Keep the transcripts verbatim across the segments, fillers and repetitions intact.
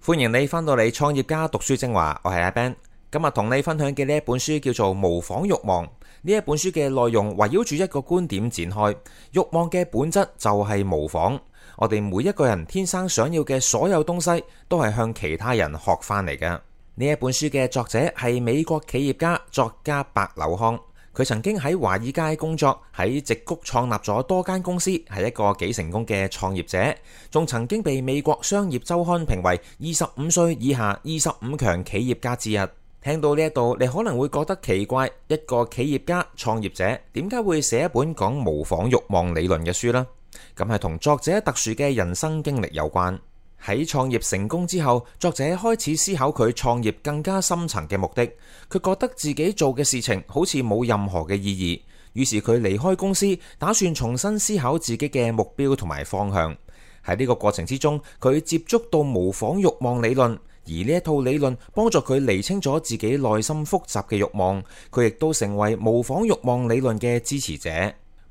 歡迎你返到嚟創業家讀書精華，我係阿 Ben。今日同你分享嘅呢一本書叫做《模仿慾望》。呢一本書嘅內容圍繞住一個觀點展開，慾望嘅本質就係模仿。我哋每一個人天生想要嘅所有東西，都係向其他人學翻嚟嘅。呢一本書嘅作者係美國企業家作家白柳康。佢曾經喺華爾街工作，喺矽谷創立咗多間公司，係一個幾成功嘅創業者，仲曾經被美國商業週刊評為二十五歲以下二十五強企業家之一。聽到呢一度，你可能會覺得奇怪，一個企業家創業者點解會寫一本講模仿慾望理論嘅書呢？咁係同作者特殊嘅人生經歷有關。喺創業成功之後，作者開始思考佢創業更加深層嘅目的。佢覺得自己做嘅事情好似冇任何嘅意義，於是佢離開公司，打算重新思考自己嘅目標同埋方向。喺呢個過程之中，佢接觸到模仿慾望理論，而呢一套理論幫助佢釐清咗自己內心複雜嘅慾望。佢亦都成為模仿慾望理論嘅支持者。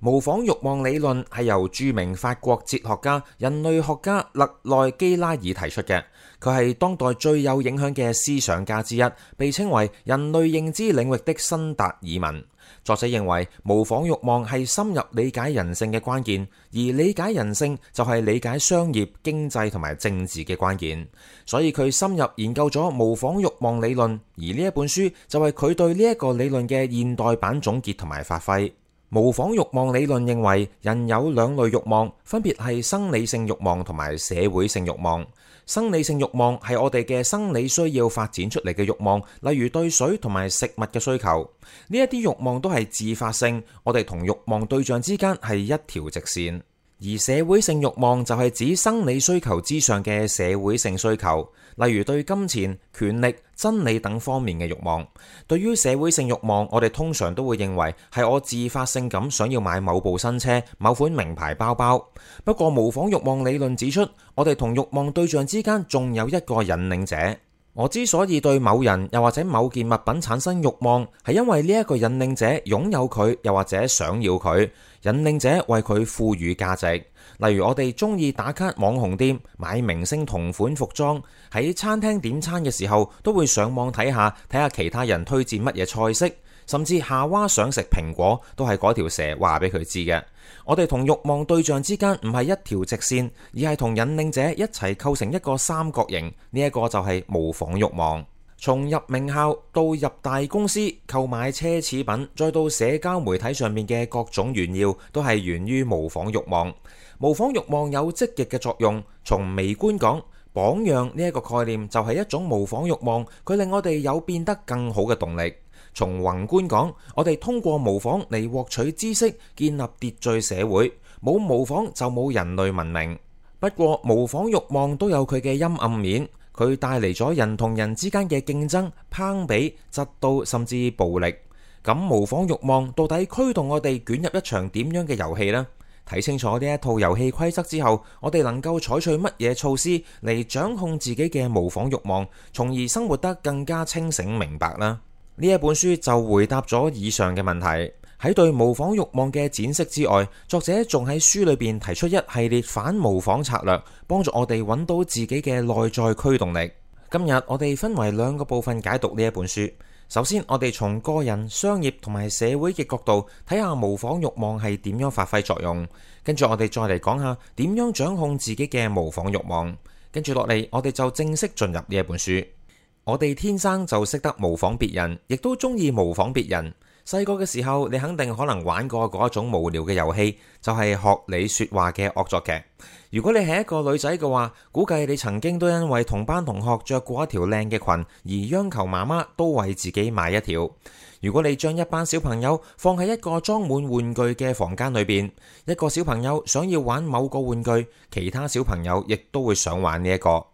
模仿慾望理論係由著名法國哲學家、人類學家勒內基拉爾提出嘅。佢係當代最有影響嘅思想家之一，被稱為人類認知領域的新達爾文。作者認為模仿慾望係深入理解人性嘅關鍵，而理解人性就係理解商業、經濟同埋政治嘅關鍵。所以佢深入研究咗模仿慾望理論，而呢一本書就係佢對呢一個理論嘅現代版總結同埋發揮。模仿慾望理論認為人有兩類慾望，分別係生理性慾望同埋社會性慾望。生理性慾望係我哋嘅生理需要發展出嚟嘅慾望，例如對水同埋食物嘅需求。呢一啲慾望都係自發性，我哋同慾望對象之間係一條直線。而社會性慾望就係指生理需求之上嘅社會性需求，例如對金錢、權力、真理等方面嘅慾望。對於社會性慾望，我哋通常都會認為係我自發性咁想要買某部新車、某款名牌包包。不過模仿慾望理論指出，我哋同慾望對象之間仲有一個引領者。我之所以對某人又或者某件物品產生慾望，係因為呢一個引領者擁有佢，又或者想要佢。引領者為佢賦予價值。例如我哋中意打卡網紅店，買明星同款服裝，喺餐廳點餐嘅時候都會上網睇下睇下其他人推薦乜嘢菜式，甚至夏娃想食蘋果都係嗰條蛇話俾佢知嘅。我哋同慾望對象之間唔係一條直線，而係同引領者一齊構成一個三角形。呢一個就係模仿慾望。從入名校到入大公司購買奢侈品，再到社交媒體上面嘅各種炫耀，都係源於模仿慾望。模仿慾望有積極嘅作用。從微觀講，榜樣呢一個概念就係一種模仿慾望，佢令我哋有變得更好嘅動力。從宏觀講，我哋通過模仿嚟獲取知識，建立秩序社會。冇模仿就冇人類文明。不過模仿慾望都有佢嘅陰暗面。佢帶嚟咗人同人之間嘅競爭、攀比、嫉妒甚至暴力。咁模仿慾望到底驅動我哋捲入一場點樣嘅遊戲呢？睇清楚呢一套遊戲規則之後，我哋能夠採取乜嘢措施嚟掌控自己嘅模仿慾望，從而生活得更加清醒明白呢？呢一本書就回答咗以上嘅問題。喺對模仿慾望嘅展釋之外，作者仲喺書裏邊提出一系列反模仿策略，幫助我哋揾到自己嘅內在驅動力。今日我哋分為兩個部分解讀呢一本書。首先，我哋從個人、商業同埋社會嘅角度睇下模仿慾望係點樣發揮作用。跟住我哋再嚟講下點樣掌控自己嘅模仿慾望。跟住落嚟，我哋就正式進入呢一本書。我哋天生就識得模仿別人，亦都中意模仿別人。細個嘅時候，你肯定可能玩過嗰一種無聊嘅遊戲，就係學你說話嘅惡作劇。如果你係一個女仔嘅話，估計你曾經都因為同班同學着過一條靚嘅裙而央求媽媽都為自己買一條。如果你將一班小朋友放喺一個裝滿玩具嘅房間裏邊，一個小朋友想要玩某個玩具，其他小朋友亦都會想玩呢一個。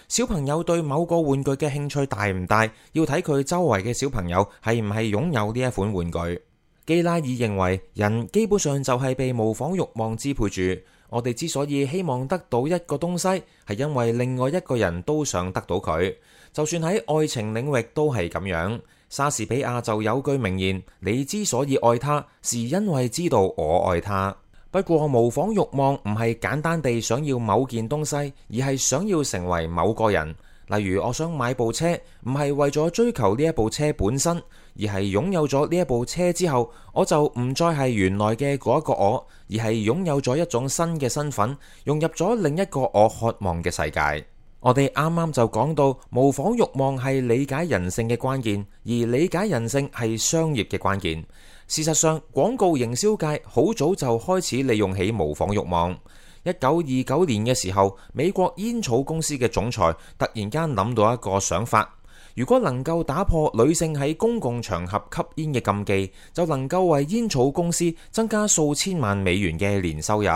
小朋友對某個玩具嘅興趣大唔大，要睇佢周圍嘅小朋友係唔係擁有呢一款玩具。基拉爾認為，人基本上就係被模仿慾望支配住。我哋之所以希望得到一個東西，係因為另外一個人都想得到佢。就算喺愛情領域都係咁樣。莎士比亞就有句名言：你之所以愛他，是因為知道我愛他。不過模仿慾望唔係簡單地想要某件東西，而係想要成為某個人。例如我想買部車，唔係為咗追求呢一部車本身，而係擁有咗呢一部車之後，我就唔再係原來嘅嗰一個我，而係擁有咗一種新嘅身份，融入咗另一個我渴望嘅世界。我哋啱啱就講到模仿慾望係理解人性嘅關鍵，而理解人性係商業嘅關鍵。事實上，廣告營銷界好早就開始利用起模仿慾望。一九二九年嘅時候，美國煙草公司嘅總裁突然間諗到一個想法，如果能夠打破女性喺公共場合吸煙嘅禁忌，就能夠為煙草公司增加數千萬美元嘅年收入。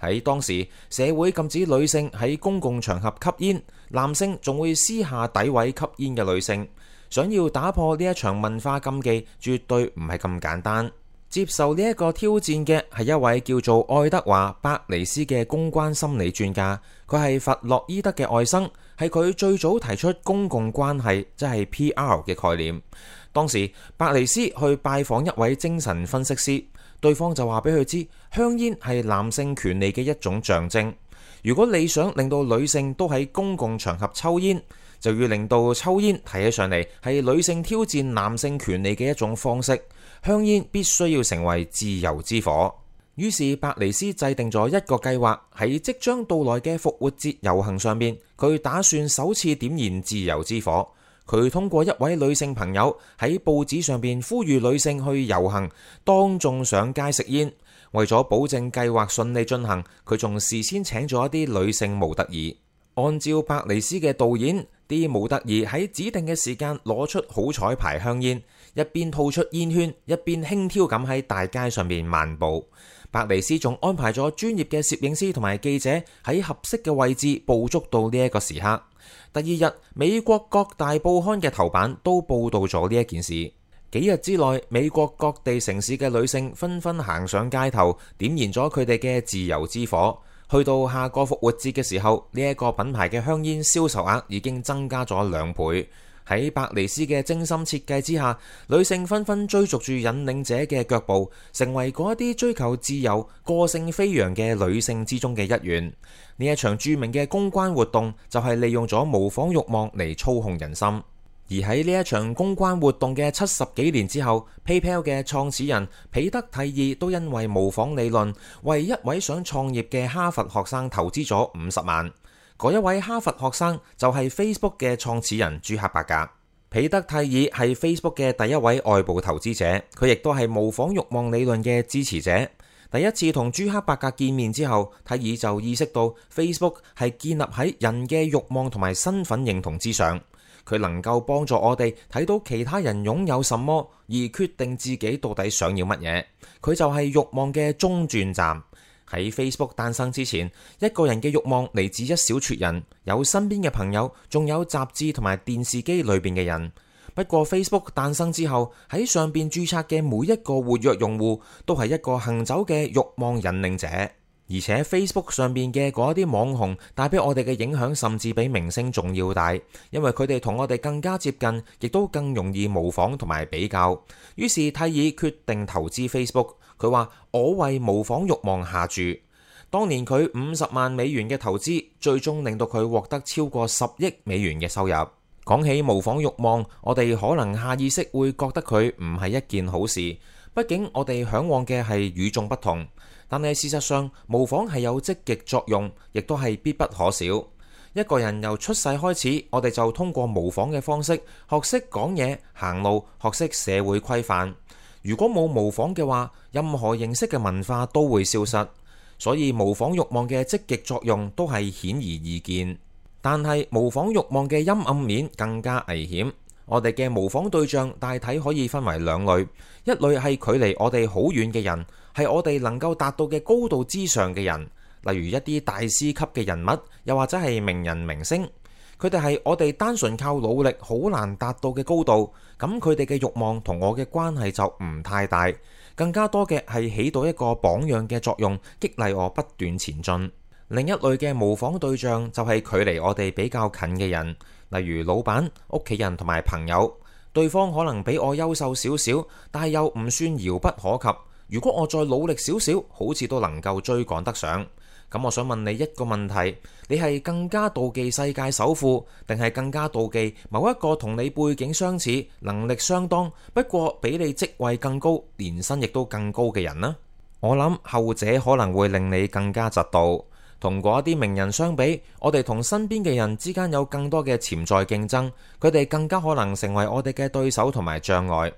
喺當時，社會禁止女性喺公共場合吸煙，男性仲會私下詆毀吸煙嘅女性。想要打破呢一場文化禁忌，絕對唔係咁簡單。接受呢一個挑戰嘅係一位叫做愛德華·伯尼斯嘅公關心理專家，佢係弗洛伊德嘅外甥，係佢最早提出公共關係，即係 P R 嘅概念。當時伯尼斯去拜訪一位精神分析師，對方就話俾佢知，香煙係男性權利嘅一種象徵。如果你想令到女性都喺公共場合抽煙，就要令到抽煙睇起上嚟係女性挑戰男性權利嘅一種方式。香煙必須要成為自由之火。於是伯尼斯制定咗一個計劃，喺即將到來嘅復活節遊行上面，佢打算首次點燃自由之火。佢通過一位女性朋友喺報紙上邊呼籲女性去遊行，當眾上街食煙。為咗保證計劃順利進行，佢仲事先請咗一啲女性模特兒。按照伯尼斯嘅導演，啲模特兒喺指定嘅時間攞出好彩牌香煙，一邊吐出煙圈，一邊輕佻咁喺大街上面漫步。伯尼斯仲安排咗專業嘅攝影師同埋記者喺合適嘅位置捕捉到呢一個時刻。第二日，美國各大報刊嘅頭版都報道咗呢一件事。幾日之內，美國各地城市嘅女性紛紛行上街頭，點燃咗佢哋嘅自由之火。去到下個復活節嘅時候，呢一個品牌嘅香煙銷售額已經增加咗兩倍。喺伯尼斯嘅精心設計之下，女性紛紛追逐住引領者嘅腳步，成為嗰一啲追求自由、個性飛揚嘅女性之中嘅一員。呢一場著名嘅公關活動就係利用咗模仿慾望嚟操控人心。而喺呢一場公關活動嘅七十幾年之後， PayPal 嘅創始人彼得蒂爾都因為模仿理論，為一位想創業嘅哈佛學生投資咗五十萬。嗰一位哈佛學生就係 Facebook 嘅創始人朱克伯格。彼得蒂爾係 Facebook 嘅第一位外部投資者，佢亦都係模仿慾望理論嘅支持者。第一次同朱克伯格見面之後，蒂爾就意識到 Facebook 係建立喺人嘅慾望同埋身份認同之上。佢能夠幫助我哋睇到其他人擁有什麼，而決定自己到底想要乜嘢。佢就係慾望嘅中轉站。喺 Facebook 誕生之前，一個人嘅慾望嚟自一小撮人，有身邊嘅朋友，仲有雜誌同埋電視機裏邊嘅人。不過 Facebook 誕生之後，喺上邊註冊嘅每一個活躍用戶都係一個行走嘅慾望引領者。而且 Facebook 上邊嘅嗰啲網紅帶俾我哋嘅影響甚至比明星仲要大，因為佢哋同我哋更加接近，亦都更容易模仿同埋比較。於是蒂爾決定投資 Facebook， 佢話我為模仿慾望下注。當年佢五十萬美元嘅投資，最終令到佢獲得超過十億美元嘅收入。講起模仿慾望，我哋可能下意識會覺得佢唔係一件好事，畢竟我哋嚮往嘅係與眾不同。但係事實上，模仿係有積極作用，亦都係必不可少。一個人由出世開始，我哋就通過模仿嘅方式學識講嘢、行路，學識社會規範。如果冇模仿嘅話，任何形式嘅文化都會消失。所以模仿慾望嘅積極作用都係顯而易見。但係模仿慾望嘅陰暗面更加危險。我哋嘅模仿對象大體可以分為兩類，一類係距離我哋好遠嘅人，係我哋能夠達到嘅高度之上嘅人，例如一啲大師級嘅人物，又或者係名人明星。佢哋係我哋單純靠努力好難達到嘅高度，咁佢哋嘅慾望同我嘅關係就唔太大，更加多嘅係起到一個榜樣嘅作用，激勵我不斷前進。另一類嘅模仿對象就係距離我哋比較近嘅人，例如老闆、屋企人同埋朋友。對方可能比我優秀少少，但係又唔算遙不可及。如果我再努力少少，好似都能夠追趕得上。咁我想問你一個問題，你係更加妒忌世界首富，定係更加妒忌某一個同你背景相似、能力相當，不過比你職位更高、年薪亦都更高嘅人呢？我諗後者可能會令你更加嫉妒。同嗰一啲名人相比，我哋同身邊嘅人之間有更多嘅潛在競爭，佢哋更加可能成為我哋嘅對手同埋障礙。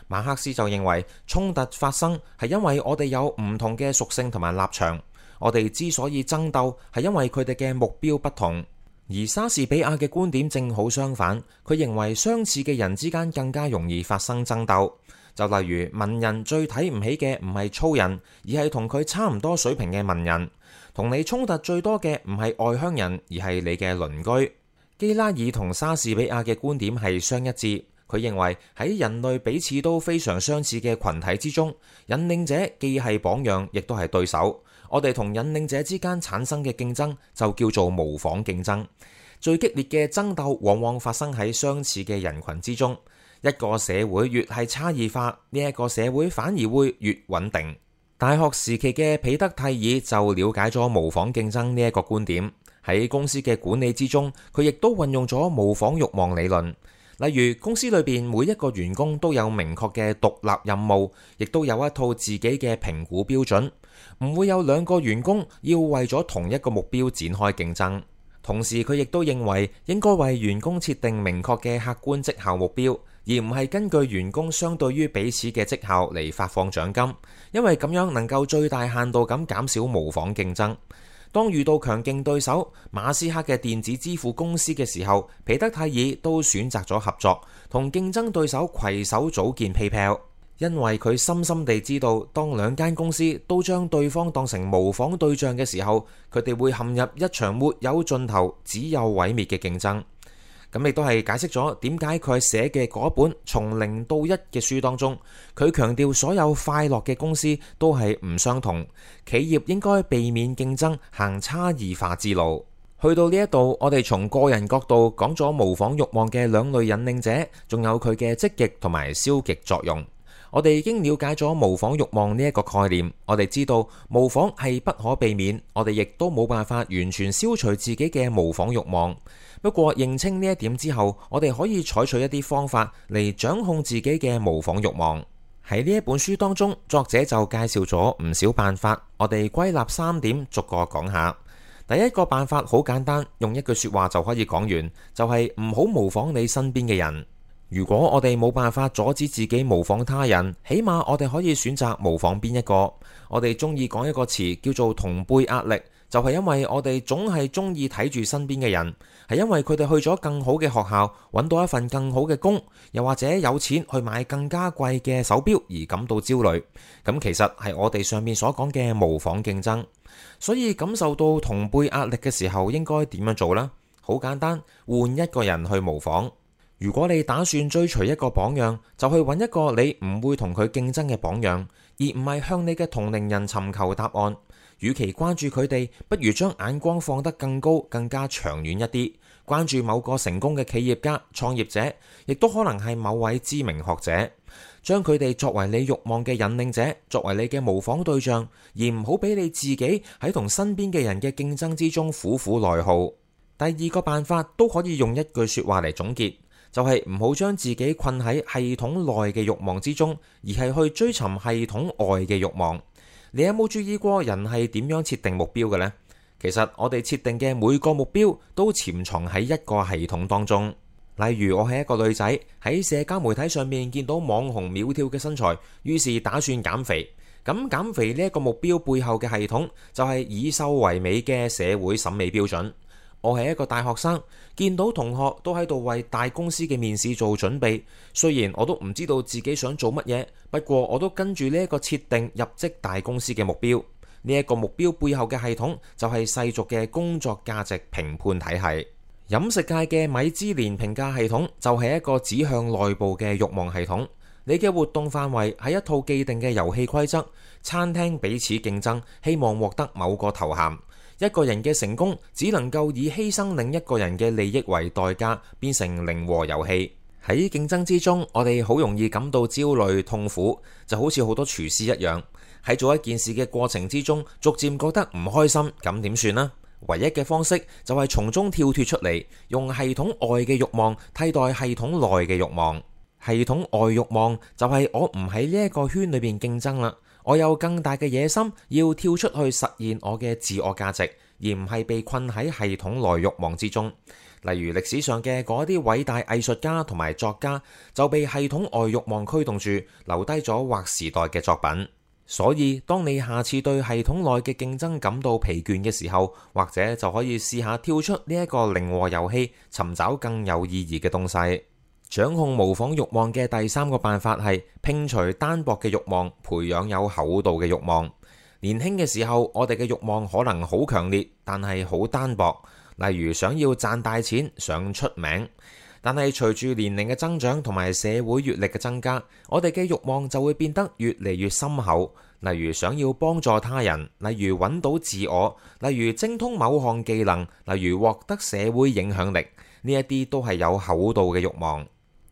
馬克思就認為衝突發生係因為我哋有唔同嘅屬性同埋立場，我哋之所以爭鬥係因為佢哋嘅目標不同。而莎士比亞嘅觀點正好相反，佢認為相似嘅人之間更加容易發生爭鬥。就例如文人最睇唔起嘅唔係粗人，而係同佢差唔多水平嘅文人。同你衝突最多嘅唔係外鄉人，而係你嘅鄰居。基拉爾同莎士比亞嘅觀點係相一致，佢認為喺人類彼此都非常相似嘅群體之中，引領者既係榜樣，亦都係對手。我哋同引領者之間產生嘅競爭就叫做模仿競爭。最激烈嘅爭鬥往往發生喺相似嘅人群之中。一個社會越係差異化，呢一個社會反而會越穩定。大學時期嘅彼得蒂爾就了解咗模仿競爭呢一個觀點，喺公司嘅管理之中，佢亦都運用咗模仿慾望理論。例如公司裏邊每一個員工都有明確嘅獨立任務，亦都有一套自己嘅評估標準，唔會有兩個員工要為咗同一個目標展開競爭。同時佢亦都認為應該為員工設定明確嘅客觀績效目標，而唔係根據員工相對於彼此嘅績效嚟發放獎金，因為咁樣能夠最大限度咁減少模仿競爭。當遇到強勁對手馬斯克嘅電子支付公司嘅時候，彼得蒂爾都選擇咗合作，同競爭對手攜手組建 PayPal， 因為佢深深地知道，當兩間公司都將對方當成模仿對象嘅時候，佢哋會陷入一場沒有盡頭、只有毀滅嘅競爭。咁亦都係解釋咗點解佢寫嘅嗰一本從零到一嘅書當中，佢強調所有快樂嘅公司都係唔相同，企業應該避免競爭，行差異化之路。去到呢一度，我哋從個人角度講咗模仿慾望嘅兩類引領者，仲有佢嘅積極同埋消極作用。我哋已經了解咗模仿慾望呢一個概念，我哋知道模仿係不可避免，我哋亦都冇辦法完全消除自己嘅模仿慾望。不過認清呢一點之後，我哋可以採取一啲方法嚟掌控自己嘅模仿慾望。喺呢一本書當中，作者就介紹咗唔少辦法，我哋歸納三點，逐個講下。第一個辦法好簡單，用一句說話就可以講完，就係唔好模仿你身邊嘅人。如果我哋冇辦法阻止自己模仿他人，起碼我哋可以選擇模仿邊一個。我哋中意講一個詞叫做同輩壓力，就係因為我哋總係中意睇住身邊嘅人，係因為佢哋去咗更好嘅學校，揾到一份更好嘅工，又或者有錢去買更加貴嘅手錶而感到焦慮。咁其實係我哋上面所講嘅模仿競爭。所以感受到同輩壓力嘅時候，應該點樣做呢？好簡單，換一個人去模仿。如果你打算追隨一個榜樣，就去揾一個你唔會同佢競爭嘅榜樣，而唔係向你嘅同齡人尋求答案。與其關注佢哋，不如將眼光放得更高、更加長遠一啲，關注某個成功嘅企業家、創業者，亦都可能係某位知名學者，將佢哋作為你慾望嘅引領者，作為你嘅模仿對象，而唔好俾你自己喺同身邊嘅人嘅競爭之中苦苦內耗。第二個辦法都可以用一句說話嚟總結，就係唔好將自己困喺系統內嘅慾望之中，而係去追尋系統外嘅慾望。你有冇注意過人係點樣設定目標嘅呢？其實我哋設定嘅每個目標都潛藏喺一個系統當中。例如我係一個女仔，喺社交媒體上面見到網紅苗條嘅身材，於是打算減肥。咁減肥呢一個目標背後嘅系統就係以瘦為美嘅社會審美標準。我係一個大學生，見到同學都喺度為大公司嘅面試做準備，雖然我都唔知道自己想做乜嘢，不過我都跟住呢一個設定入職大公司嘅目標。呢一個目標背後嘅系統就係世俗嘅工作價值評判體系。飲食界嘅米芝蓮評價系統就係一個指向內部嘅慾望系統。你嘅活動範圍係一套既定嘅遊戲規則，餐廳彼此競爭，希望獲得某個頭銜。一個人嘅成功只能夠以犧牲另一個人嘅利益為代價，變成零和遊戲。喺競爭之中，我哋好容易感到焦慮痛苦，就好似好多廚師一樣。喺做一件事嘅過程之中，逐漸覺得唔開心，咁點算呢？唯一嘅方式就係從中跳脫出嚟，用系統外嘅慾望替代系統內嘅慾望。系統外慾望就係我唔喺呢一個圈裏邊競爭啦，我有更大嘅野心，要跳出去實現我嘅自我價值，而唔係被困喺系統內慾望之中。例如歷史上嘅嗰啲偉大藝術家同埋作家，就被系統外慾望驅動住，留低咗劃時代嘅作品。所以當你下次對系統內嘅競爭感到疲倦嘅時候，或者就可以試下跳出呢一個零和遊戲，尋找更有意義嘅東西。掌控模仿慾望嘅第三個辦法係摒除單薄嘅慾望，培養有厚度嘅慾望。年輕嘅時候，我哋嘅慾望可能好強烈，但係好單薄。例如想要賺大錢，想出名。但係隨住年齡嘅增長同埋社會閱歷嘅增加，我哋嘅慾望就會變得越嚟越深厚。例如想要幫助他人，例如揾到自我，例如精通某項技能，例如獲得社會影響力，呢一啲都係有厚度嘅慾望。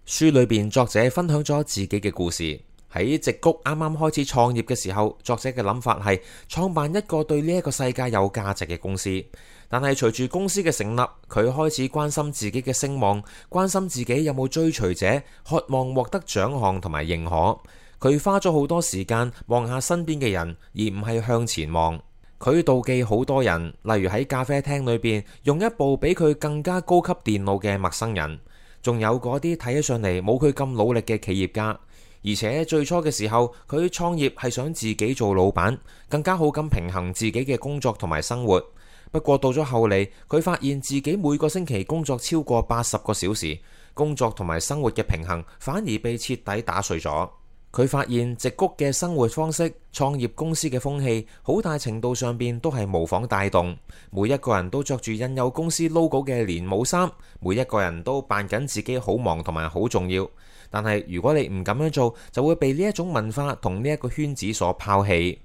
書裏邊作者分享咗自己嘅故事。喺矽谷啱啱開始創業嘅時候，作者嘅諗法係創辦一個對呢一個世界有價值嘅公司。但係隨住公司嘅成立，佢開始關心自己嘅聲望，關心自己有冇追隨者，渴望獲得獎項同埋認可。佢花咗好多時間望下身邊嘅人，而唔係向前望。佢妒忌好多人，例如喺咖啡廳裏邊用一部比佢更加高級電腦嘅陌生人，仲有嗰啲睇起上嚟冇佢咁努力嘅企業家。而且最初嘅時候，佢創業係想自己做老闆，更加好咁平衡自己嘅工作同埋生活。不過到咗後嚟，佢發現自己每個星期工作超過八十個小時，工作同埋生活嘅平衡反而被徹底打碎咗。佢發現矽谷嘅生活方式、創業公司嘅風氣，好大程度上邊都係模仿帶動。每一個人都着住印有公司 logo 嘅連帽衫，每一個人都扮緊自己好忙同埋好重要。但係如果你唔咁樣做，就會被呢一種文化同呢一個圈子所拋棄。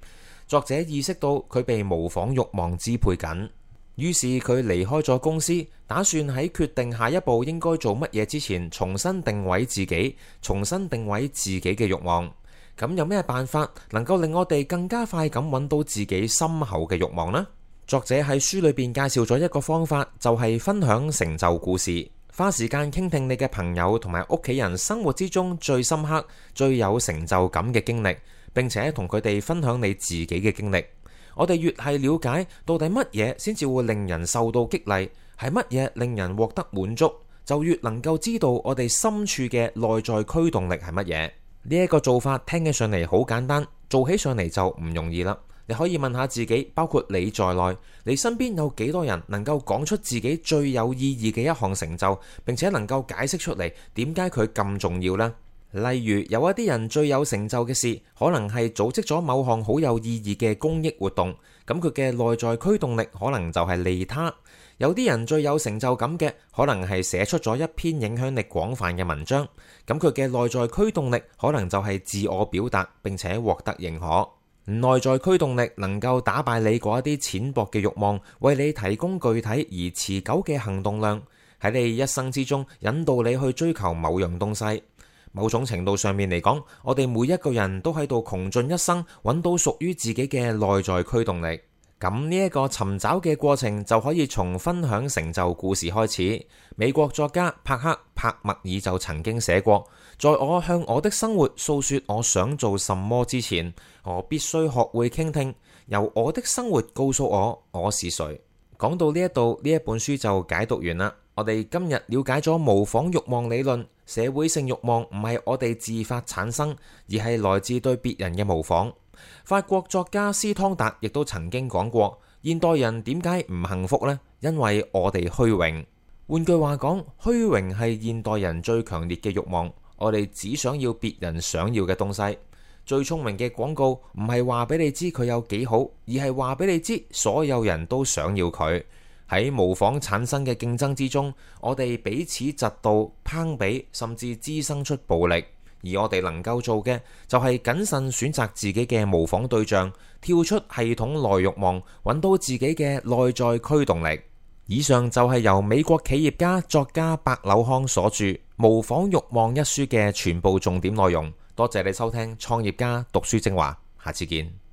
作者意識到佢被模仿慾望支配緊，於是佢離開咗公司，打算喺決定下一步應該做乜嘢之前，重新定位自己，重新定位自己嘅慾望。咁有咩辦法能夠令我哋更加快咁揾到自己深厚嘅慾望呢？作者喺書裏邊介紹咗一個方法，就係分享成就故事。花時間傾聽你嘅朋友同埋屋企人生活之中最深刻、最有成就感嘅經歷，並且同佢哋分享你自己嘅經歷。我哋越係了解到底乜嘢先至會令人受到激勵，係乜嘢令人獲得滿足，就越能夠知道我哋深處嘅內在驅動力係乜嘢。呢一個做法聽起上嚟好簡單，做起上嚟就唔容易啦。你可以問下自己，包括你在內，你身邊有幾多人能夠講出自己最有意義嘅一項成就，並且能夠解釋出嚟點解佢咁重要呢？例如有一啲人最有成就嘅事，可能係組織咗某項好有意義嘅公益活動，咁佢嘅內在驅動力可能就係利他。有啲人最有成就感嘅，可能係寫出咗一篇影響力廣泛嘅文章，咁佢嘅內在驅動力可能就係自我表達，並且獲得認可。內在驅動力能夠打敗你嗰一啲淺薄嘅慾望，為你提供具體而持久嘅行動量，喺你一生之中引導你去追求某樣東西。某種程度上面嚟講，我哋每一個人都喺度窮盡一生揾到屬於自己嘅內在驅動力。咁呢一個尋找嘅過程就可以從分享成就故事開始。美國作家帕克·帕默爾就曾經寫過，在我向我的生活訴說我想做什麼之前，我必須學會傾聽，由我的生活告訴我我是誰。講到呢一度，呢一本書就解讀完啦。我哋今日了解咗模仿慾望理論，社會性慾望唔係我哋自發產生，而係來自對別人嘅模仿。法國作家斯湯達亦都曾經講過，現代人點解唔幸福呢？因為我哋虛榮。換句話講，虛榮係現代人最強烈嘅慾望。我哋只想要別人想要嘅東西。最聰明嘅廣告唔係話俾你知佢有幾好，而係話俾你知所有人都想要佢。喺模仿產生嘅競爭之中，我哋彼此嫉妒、攀比，甚至滋生出暴力。而我哋能夠做嘅就係謹慎選擇自己嘅模仿對象，跳出系統內慾望，揾到自己嘅內在驅動力。以上就係由美國企業家作家白柳康所著《模仿慾望》一書嘅全部重點內容。多謝你收聽創業家讀書精華，下次見。